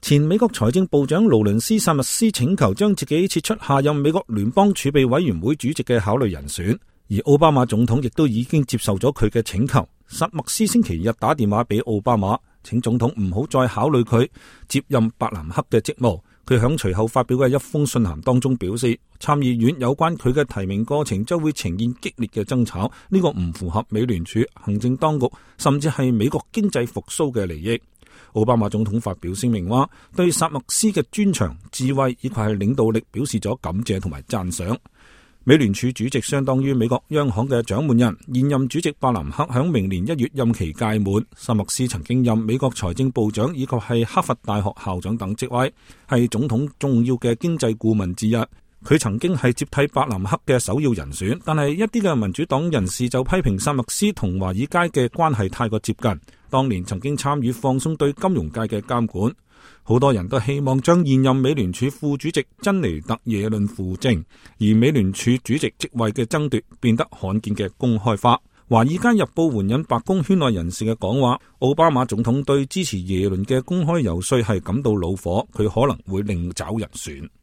前美國財政部長勞倫斯·薩密斯請求將自己撤出下任美國聯邦儲備委員會主席嘅考慮人選，而奧巴馬總統亦都已經接受咗佢嘅請求。薩默斯星期日打電話俾奧巴馬，請總統唔好再考慮佢接任伯南克嘅職務。佢響隨後發表嘅一封信函當中表示，參議院有關佢嘅提名過程將會呈現激烈嘅爭吵，呢個唔符合美聯儲、行政當局甚至係美國經濟復甦嘅利益。奧巴馬總統發表聲明話，對薩默斯嘅專長、智慧以及係領導力表示咗感謝同埋讚賞。美聯儲主席相當於美國央行嘅掌門人，現任主席伯南克響明年1月任期屆滿。薩默斯曾經任美國財政部長以及係哈佛大學校長等職位，係總統重要嘅經濟顧問之一。佢曾經係接替伯南克嘅首要人選，但係一啲嘅民主黨人士就批評薩默斯同華爾街嘅關係太過接近，當年曾經參與放鬆對金融界嘅監管。好多人都希望將現任美聯儲副主席珍妮特耶倫扶正，而美聯儲主席職位嘅爭奪變得罕見嘅公開化。華爾街日報援引白宮圈內人士嘅講話，奧巴馬總統對支持耶倫嘅公開游說係感到惱火，佢可能會另找人選。